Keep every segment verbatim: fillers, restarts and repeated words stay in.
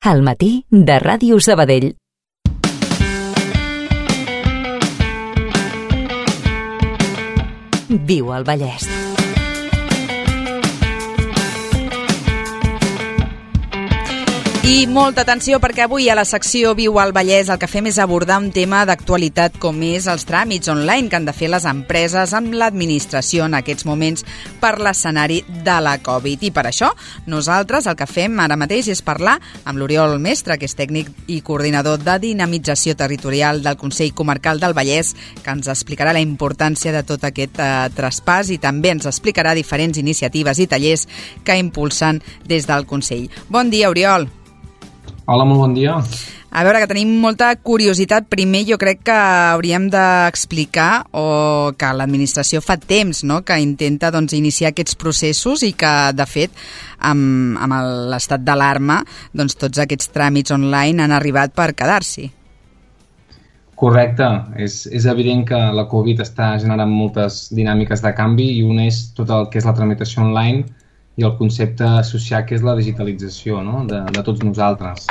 Al matí de Ràdio Sabadell. Viu al Vallès. I molta atenció, perquè avui a la secció Viu al Vallès el que fem és abordar un tema d'actualitat com és els tràmits online que han de fer les empreses amb l'administració en aquests moments per l'escenari de la Covid. I per això nosaltres el que fem ara mateix és parlar amb l'Oriol Mestre, que és tècnic i coordinador de dinamització territorial del Consell Comarcal del Vallès, que ens explicarà la importància de tot aquest eh, traspàs i també ens explicarà diferents iniciatives i tallers que impulsen des del Consell. Bon dia, Oriol. Hola, molt bon dia. A veure, que tenim molta curiositat. Primer, jo crec que hauríem d'explicar o que l'administració fa temps, no?, que intenta doncs, iniciar aquests processos i que, de fet, amb, amb l'estat d'alarma, doncs, tots aquests tràmits online han arribat per quedar-s'hi. Correcte. És, és evident que la Covid està generant moltes dinàmiques de canvi i una és tot el que és la tramitació online i el concepte associat que és la digitalització, no?, de, de tots nosaltres.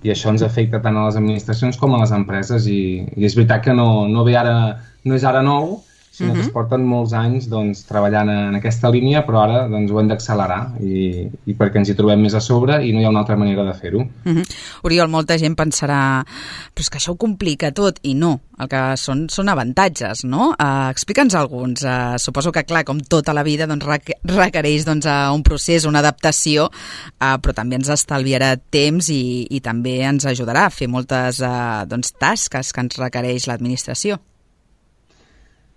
I això ens afecta tant a les administracions com a les empreses i, i és veritat que no, no, ve ara, no és ara nou, sinó uh-huh. que es porten molts anys doncs, treballant en aquesta línia, però ara doncs, ho hem d'accelerar i, i perquè ens hi trobem més a sobre i no hi ha una altra manera de fer-ho. Uh-huh. Oriol, molta gent pensarà però és que això ho complica tot, i no, el que són, són avantatges, no? Uh, Explica'ns alguns. Uh, suposo que, clar, com tota la vida doncs, requereix doncs, uh, un procés, una adaptació, uh, però també ens estalviarà temps i, i també ens ajudarà a fer moltes uh, doncs, tasques que ens requereix l'administració.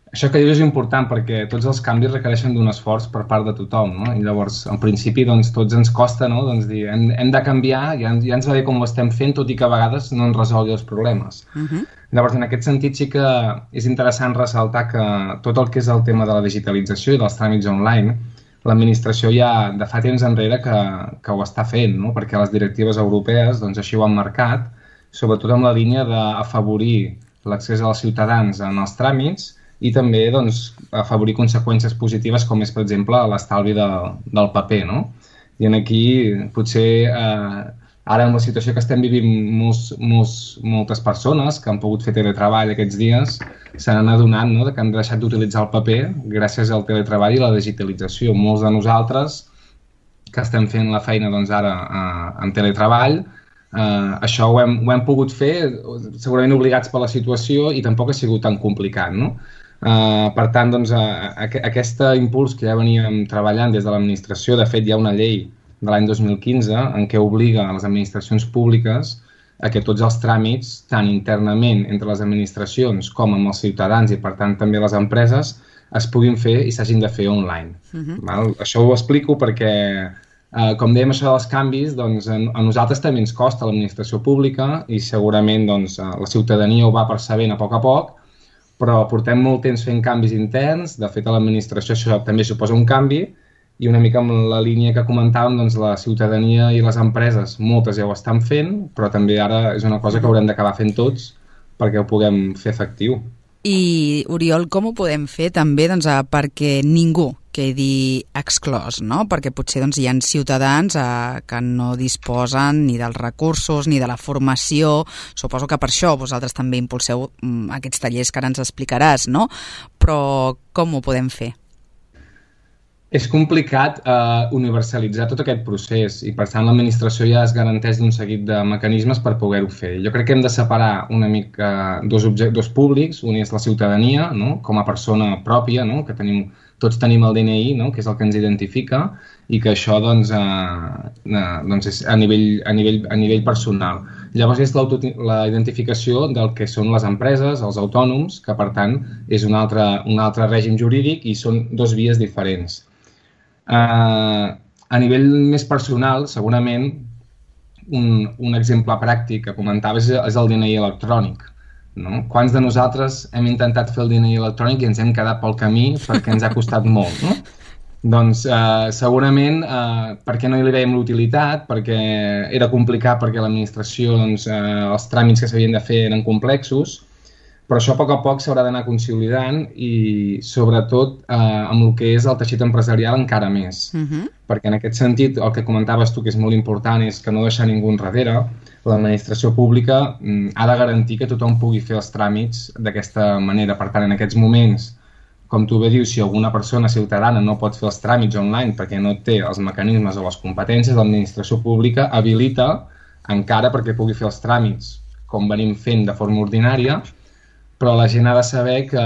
Això que dius és important perquè tots els canvis requereixen d'un esforç per part de tothom, no? I llavors, en principi, doncs, tots ens costa, no?, doncs, dir, hem, hem de canviar, ja, ja ens va bé com ho estem fent, tot i que a vegades no ens resolgui els problemes. Uh-huh. Llavors, en aquest sentit sí que és interessant ressaltar que tot el que és el tema de la digitalització i dels tràmits online, l'administració ja de fa temps enrere que, que ho està fent, no?, perquè les directives europees doncs, així ho han marcat, sobretot amb la línia d'afavorir l'accés als ciutadans en els tràmits i també doncs, afavorir conseqüències positives com és, per exemple, l'estalvi de, del paper, no? I aquí potser eh, ara amb la situació que estem vivint molts, molts, moltes persones que han pogut fer teletreball aquests dies se n'han adonat, no?, que han deixat d'utilitzar el paper gràcies al teletreball i la digitalització. Molts de nosaltres que estem fent la feina doncs, ara eh, en teletreball, eh, això ho hem, ho hem pogut fer segurament obligats per la situació i tampoc ha sigut tan complicat, no? Uh, per tant, doncs, uh, aqu aquest impuls que ja veníem treballant des de l'administració, de fet hi ha una llei de l'any dos mil quinze en què obliga a les administracions públiques a que tots els tràmits, tant internament entre les administracions com amb els ciutadans i per tant també les empreses, es puguin fer i s'hagin de fer online. Uh-huh. Val? Això ho explico perquè, uh, com dèiem, això dels canvis, doncs, a, a nosaltres també ens costa l'administració pública i segurament doncs, la ciutadania ho va percebent a poc a poc, però portem molt temps fent canvis interns. De fet, a l'administració això també suposa un canvi i una mica amb la línia que comentàvem, doncs la ciutadania i les empreses, moltes ja ho estan fent, però també ara és una cosa que haurem d'acabar fent tots perquè ho puguem fer efectiu. I, Oriol, com ho podem fer també doncs, perquè ningú quedi exclòs, no? Perquè potser doncs, hi ha ciutadans eh, que no disposen ni dels recursos ni de la formació. Suposo que per això vosaltres també impulseu mm, aquests tallers que ara ens explicaràs, no? Però com ho podem fer? És complicat eh, universalitzar tot aquest procés i per tant l'administració ja es garanteix d'un seguit de mecanismes per poder-ho fer. Jo crec que hem de separar una mica dos, dos públics, un és la ciutadania, no?, com a persona pròpia, no?, que tenim, tots tenim el D N I, no?, que és el que ens identifica i que això doncs, eh, eh, doncs és a nivell, a nivell, a nivell personal. Llavors és la identificació del que són les empreses, els autònoms, que per tant és un altre, un altre règim jurídic i són dos vies diferents. Uh, a nivell més personal, segurament, un, un exemple pràctic que comentava és, és el D N I electrònic. No? Quants de nosaltres hem intentat fer el D N I electrònic i ens hem quedat pel camí perquè ens ha costat molt, no? Doncs uh, segurament uh, perquè no hi li veiem l'utilitat, perquè era complicat, perquè l'administració, doncs, uh, els tràmits que s'havien de fer eren complexos, Però això a poc a poc s'haurà d'anar consolidant i sobretot eh, amb el que és el teixit empresarial encara més. Uh-huh. Perquè en aquest sentit el que comentaves tu que és molt important és que no deixar ningú enrere. L'administració pública mm, ha de garantir que tothom pugui fer els tràmits d'aquesta manera. Per tant, en aquests moments, com tu bé dius, si alguna persona ciutadana no pot fer els tràmits online perquè no té els mecanismes o les competències, l'administració pública habilita encara perquè pugui fer els tràmits com venim fent de forma ordinària, però la gent ha de saber que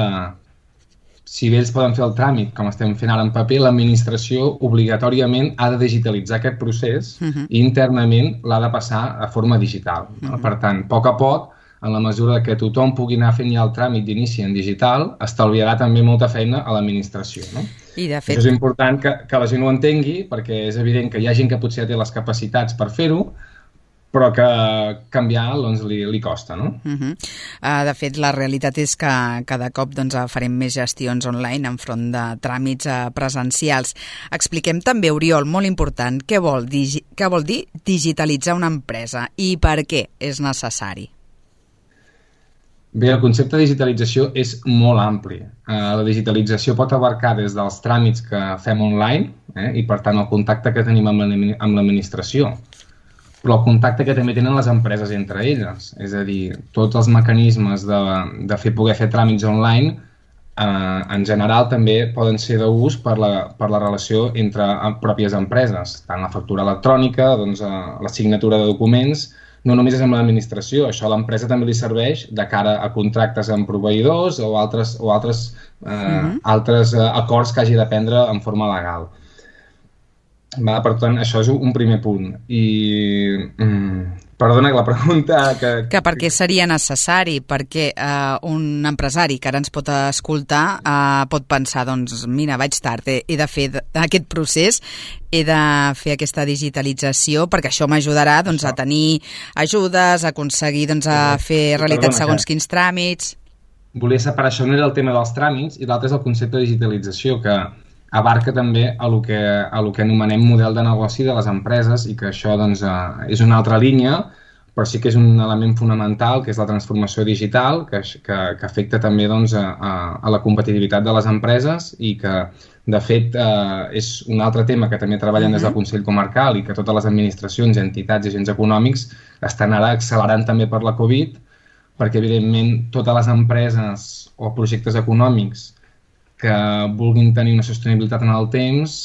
si bé ells poden fer el tràmit, com estem fent ara en paper, l'administració obligatòriament ha de digitalitzar aquest procés uh-huh. i internament l'ha de passar a forma digital. Uh-huh. Per tant, a poc a poc, en la mesura que tothom pugui anar fent ja el tràmit d'inici en digital, estalviarà també molta feina a l'administració. No? I de fet... Això és important que, que la gent ho entengui, perquè és evident que hi ha gent que potser ja té les capacitats per fer-ho, però que canviar doncs, li, li costa, no? Uh-huh. Uh, de fet, la realitat és que cada cop doncs, farem més gestions online enfront de tràmits uh, presencials. Expliquem també, Oriol, molt important, què vol, digi- què vol dir digitalitzar una empresa i per què és necessari? Bé, el concepte de digitalització és molt ampli. Uh, la digitalització pot abarcar des dels tràmits que fem online eh, i, per tant, el contacte que tenim amb l'administració, però el contacte que també tenen les empreses entre elles. És a dir, tots els mecanismes de, de fer, poder fer tràmits online eh, en general també poden ser d'ús per la, per la relació entre pròpies empreses, tant la factura electrònica, doncs, eh, la signatura de documents, no només és amb l'administració, això a l'empresa també li serveix de cara a contractes amb proveïdors o altres, o altres, eh, mm-hmm. altres eh, acords que hagi de prendre en forma legal. Va, per tant, això és un primer punt. I, mm, perdona, la pregunta... Que, que per què seria necessari? Perquè eh, un empresari que ara ens pot escoltar eh, pot pensar, doncs, mira, vaig tard, he, he de fer aquest procés, he de fer aquesta digitalització, perquè això m'ajudarà doncs, a tenir ajudes, a aconseguir doncs, a fer realitat perdona, segons que... quins tràmits... Volia separar, això no era el tema dels tràmits, i l'altre és el concepte de digitalització, que abarca també a lo que, a lo que anomenem model de negoci de les empreses i que això doncs, eh, és una altra línia, però sí que és un element fonamental, que és la transformació digital, que, que, que afecta també doncs, a, a la competitivitat de les empreses i que, de fet, eh, és un altre tema que també treballen des del Consell Comarcal i que totes les administracions, entitats i agents econòmics estan ara accelerant també per la Covid, perquè, evidentment, totes les empreses o projectes econòmics que vulguin tenir una sostenibilitat en el temps,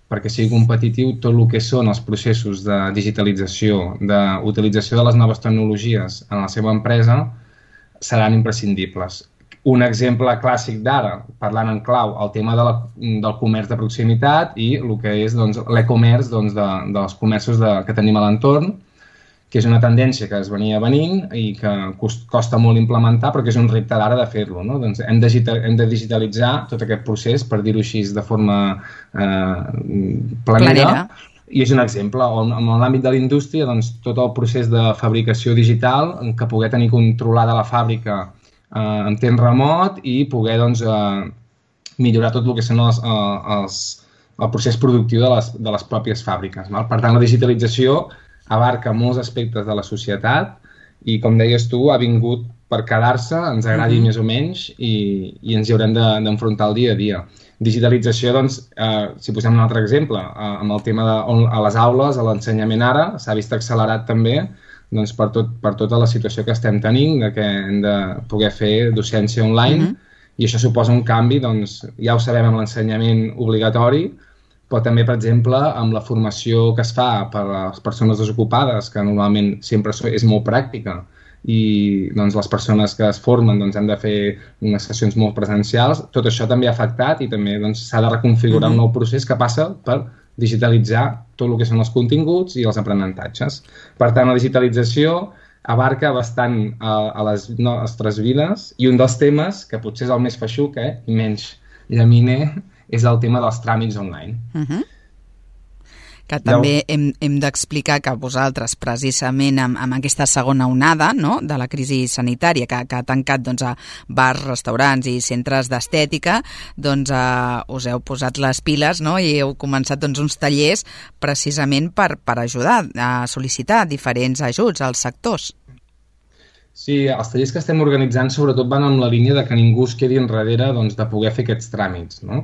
perquè sigui competitiu, tot el que són els processos de digitalització, d'utilització de les noves tecnologies en la seva empresa, seran imprescindibles. Un exemple clàssic d'ara, parlant en clau, el tema de la, del comerç de proximitat i el que és doncs, l'e-commerç doncs, de, dels comerços de, que tenim a l'entorn, que és una tendència que es venia venint i que costa molt implementar, però que és un repte d'ara de fer-lo. No? Doncs hem, de, hem de digitalitzar tot aquest procés, per dir-ho així, de forma eh, planera. planera. I és un exemple. En l'àmbit de la indústria, doncs, tot el procés de fabricació digital, que poder tenir controlada la fàbrica eh, en temps remot i poder doncs, eh, millorar tot el que són els, els, el procés productiu de les, de les pròpies fàbriques. Val? Per tant, la digitalització abarca molts aspectes de la societat i, com deies tu, ha vingut per quedar-se, ens agradi uh-huh. més o menys, i, i ens hi haurem d'enfrontar el dia a dia. Digitalització, doncs, eh, si posem un altre exemple, eh, amb el tema de on, a les aules, a l'ensenyament ara, s'ha vist accelerat també doncs, per, tot, per tota la situació que estem tenint, de que hem de poder fer docència online, uh-huh. i això suposa un canvi, doncs, ja ho sabem amb l'ensenyament obligatori, però també, per exemple, amb la formació que es fa per a les persones desocupades, que normalment sempre és molt pràctica, i doncs, les persones que es formen doncs, han de fer unes sessions molt presencials, tot això també ha afectat i també doncs, s'ha de reconfigurar mm-hmm. un nou procés que passa per digitalitzar tot el que són els continguts i els aprenentatges. Per tant, la digitalització abarca bastant a, a les nostres vides i un dels temes, que potser és el més feixuc eh, i menys llaminer, és el tema dels tràmits online. Uh-huh. Que també hem, hem d'explicar que vosaltres, precisament amb, amb aquesta segona onada no, de la crisi sanitària que, que ha tancat doncs, a bars, restaurants i centres d'estètica, doncs uh, us heu posat les piles no, i heu començat doncs, uns tallers precisament per, per ajudar a sol·licitar diferents ajuts als sectors. Sí, els tallers que estem organitzant sobretot van en la línia de que ningú es quedi enrere doncs, de poder fer aquests tràmits, no?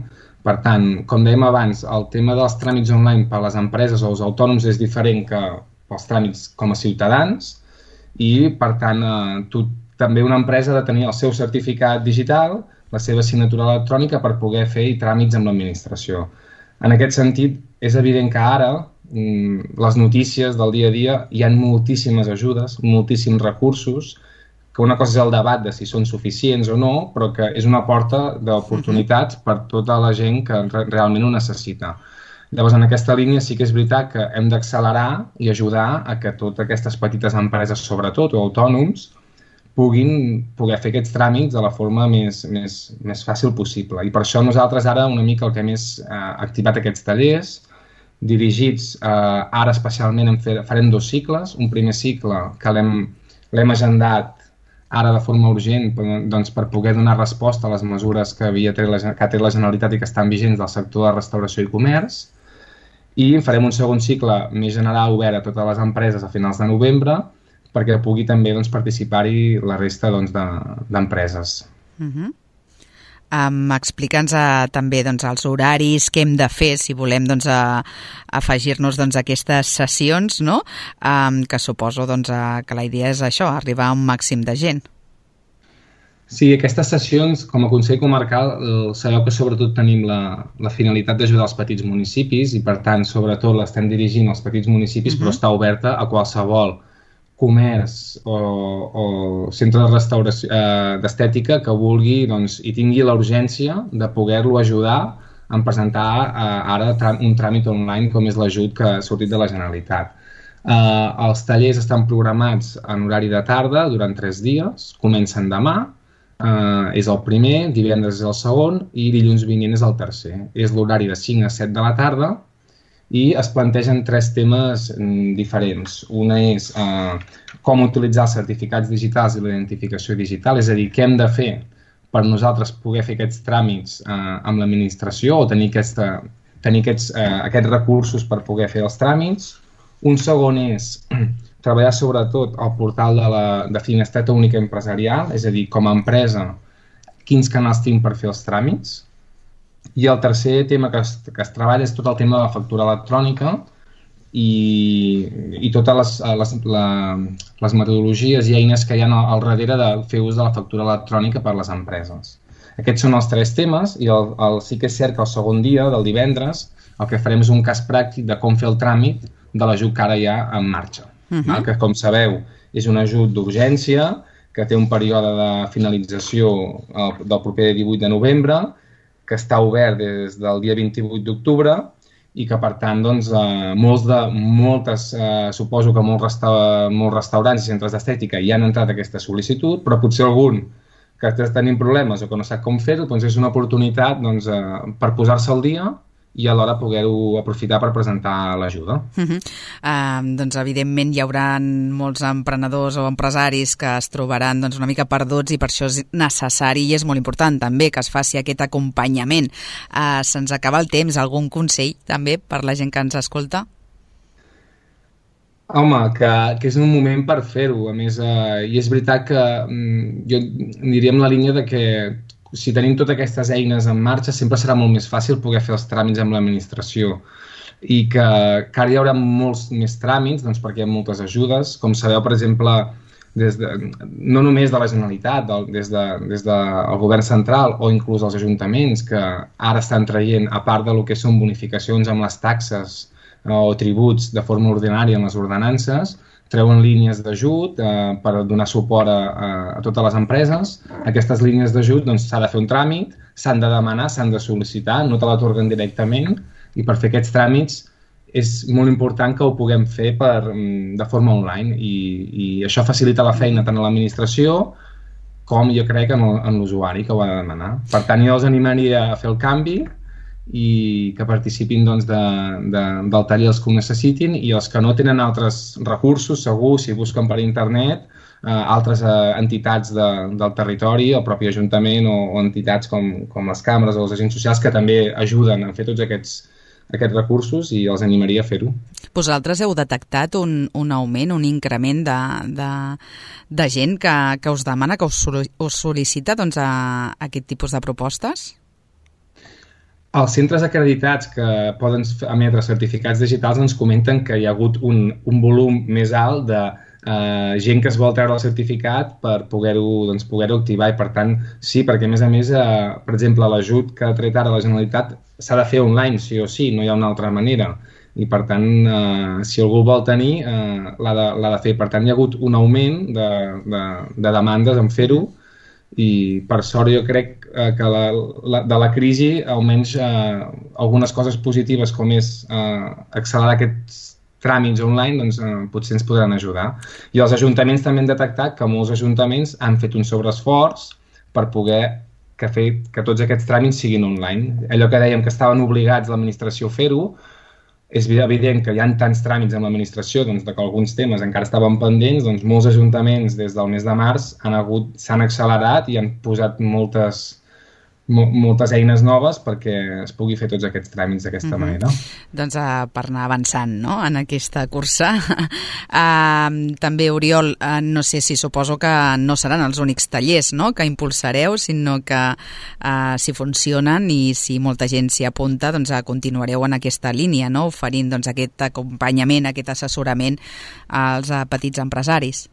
Per tant, com dèiem abans, el tema dels tràmits online per a les empreses o els autònoms és diferent que pels tràmits com a ciutadans i, per tant, eh, tu, també una empresa ha de tenir el seu certificat digital, la seva signatura electrònica per poder fer tràmits amb l'administració. En aquest sentit, és evident que ara les notícies del dia a dia hi ha moltíssimes ajudes, moltíssims recursos, que una cosa és el debat de si són suficients o no, però que és una porta d'oportunitats per tota la gent que realment ho necessita. Llavors, en aquesta línia sí que és veritat que hem d'accelerar i ajudar a que totes aquestes petites empreses, sobretot, o autònoms, puguin poder fer aquests tràmits de la forma més, més, més fàcil possible. I per això nosaltres ara una mica el que hem és eh, activat aquests tallers, dirigits, eh, ara especialment en fer, farem dos cicles. Un primer cicle que l'hem agendat ara de forma urgent doncs, per poder donar resposta a les mesures que, havia tret la, que ha tret la Generalitat i que estan vigents del sector de restauració i comerç. I farem un segon cicle més general obert a totes les empreses a finals de novembre perquè pugui també doncs, participar-hi la resta doncs, d'empreses. De, uh-huh. Um, Explica'ns uh, també doncs, els horaris, què hem de fer si volem doncs, uh, afegir-nos doncs, a aquestes sessions, no? um, que suposo doncs, uh, que la idea és això, arribar a un màxim de gent. Sí, aquestes sessions, com a Consell Comarcal, sabeu que sobretot tenim la, la finalitat d'ajudar els petits municipis i, per tant, sobretot l'estem dirigint als petits municipis, uh-huh. però està oberta a qualsevol comerç o, o centre de restauració eh, d'estètica que vulgui doncs, i tingui la urgència de poder-lo ajudar a presentar eh, ara un tràmit online com és l'ajut que ha sortit de la Generalitat. Eh, els tallers estan programats en horari de tarda durant tres dies, comencen demà, eh, és el primer, divendres és el segon i dilluns vinent és el tercer. És l'horari de cinc a set de la tarda i es plantegen tres temes diferents. Una és eh, com utilitzar els certificats digitals i la identificació digital, és a dir, què hem de fer per nosaltres poder fer aquests tràmits eh, amb l'administració o tenir, aquesta, tenir aquests, eh, aquests recursos per poder fer els tràmits. Un segon és treballar sobretot al portal de, la, de Finestreta Única Empresarial, és a dir, com a empresa, quins canals tinc per fer els tràmits. I el tercer tema que es, que es treballa és tot el tema de la factura electrònica i, i totes les, les, la, les metodologies i eines que hi ha al darrere de fer ús de la factura electrònica per a les empreses. Aquests són els tres temes i el, el, sí que és cert que el segon dia, del divendres, el que farem és un cas pràctic de com fer el tràmit de l'ajut que ara hi ha en marxa. Uh-huh. Val? Que, com sabeu, és un ajut d'urgència que té un període de finalització el, del proper divuit de novembre, que està obert des del dia vint-i-vuit d'octubre i que, per tant, doncs, eh, molts de, moltes, eh, suposo que molts, resta, molts restaurants i centres d'estètica hi han entrat aquesta sol·licitud, però potser algun que està tenint problemes o que no sap com fer-ho, doncs és una oportunitat doncs, eh, per posar-se al dia i alhora poder-ho aprofitar per presentar l'ajuda. Uh-huh. Uh, doncs, evidentment, hi haurà molts emprenedors o empresaris que es trobaran doncs, una mica perduts i per això és necessari i és molt important també que es faci aquest acompanyament. Uh, se'ns acaba el temps. Algun consell també per la gent que ens escolta? Home, que, que és un moment per fer-ho. A més, eh, i és veritat que mm, jo diria en la línia de que si tenim totes aquestes eines en marxa, sempre serà molt més fàcil poder fer els tràmits amb l'administració. I que, que ara hi haurà molts més tràmits, doncs perquè hi ha moltes ajudes. Com sabeu, per exemple, des de, no només de la Generalitat, del, des, de, des del govern central o inclús els ajuntaments, que ara estan traient, a part del que són bonificacions amb les taxes o tributs de forma ordinària en les ordenances, treuen línies d'ajut eh, per donar suport a, a, a totes les empreses. Aquestes línies d'ajut doncs, s'ha de fer un tràmit, s'han de demanar, s'han de sol·licitar, no te l'atorguen directament i per fer aquests tràmits és molt important que ho puguem fer per, de forma online i, i això facilita la feina tant a l'administració com jo crec en, en l'usuari que ho ha de demanar. Per tant, jo els animaria a fer el canvi i que participin doncs, de, de, del taller els que ho necessitin i els que no tenen altres recursos, segur, si busquen per internet, eh, altres eh, entitats de, del territori, el propi ajuntament o, o entitats com, com les càmeres o els agents socials que també ajuden a fer tots aquests, aquests recursos i els animaria a fer-ho. Vosaltres heu detectat un, un augment, un increment de, de, de gent que, que us demana, que us, us sol·licita doncs, a, a aquest tipus de propostes? Els centres acreditats que poden emetre certificats digitals ens comenten que hi ha hagut un, un volum més alt de uh, gent que es vol treure el certificat per poder-ho doncs, poder-ho activar i per tant sí, perquè a més a més, uh, per exemple, l'ajut que ha tret ara la Generalitat s'ha de fer online, sí o sí, no hi ha una altra manera i per tant, uh, si algú vol tenir, uh, l'ha de, l'ha de fer. Per tant, hi ha hagut un augment de, de, de demandes en fer-ho i per sort jo crec eh, que la, la, de la crisi almenys eh, algunes coses positives com és eh, accelerar aquests tràmits online doncs eh, potser ens podran ajudar. I els ajuntaments també han detectat que molts ajuntaments han fet un sobreesforç per poder que, fer, que tots aquests tràmits siguin online. Allò que dèiem que estaven obligats l'administració a fer-ho, és evident que hi ha tants tràmits amb l'administració doncs, que alguns temes encara estaven pendents, doncs molts ajuntaments des del mes de març han hagut, s'han accelerat i han posat moltes, mo, moltes eines noves perquè es pugui fer tots aquests tràmits d'aquesta mm-hmm. manera. Doncs uh, per anar avançant no? en aquesta cursa. uh, també, Oriol, uh, no sé si suposo que no seran els únics tallers no? que impulsareu, sinó que uh, si funcionen i si molta gent s'hi apunta, doncs uh, continuareu en aquesta línia, no? oferint doncs, aquest acompanyament, aquest assessorament als uh, petits empresaris.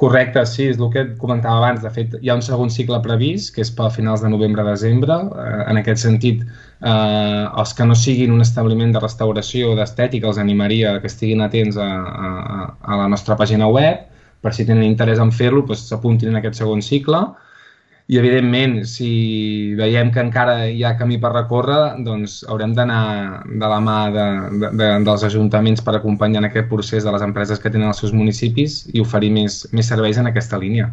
Correcte, sí, és el que comentava abans. De fet, hi ha un segon cicle previst, que és per finals de novembre-desembre. En aquest sentit, eh, els que no siguin un establiment de restauració o d'estètica els animaria que estiguin atents a, a, a la nostra pàgina web, per si tenen interès en fer-lo, doncs s'apuntin en aquest segon cicle. I, evidentment, si veiem que encara hi ha camí per recórrer, doncs haurem d'anar de la mà de, de, de, dels ajuntaments per acompanyar en aquest procés de les empreses que tenen els seus municipis i oferir més, més serveis en aquesta línia.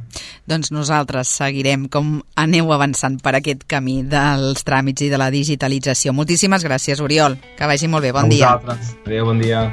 Doncs nosaltres seguirem com aneu avançant per aquest camí dels tràmits i de la digitalització. Moltíssimes gràcies, Oriol. Que vagi molt bé. Bon dia. A vosaltres. Adéu, bon dia.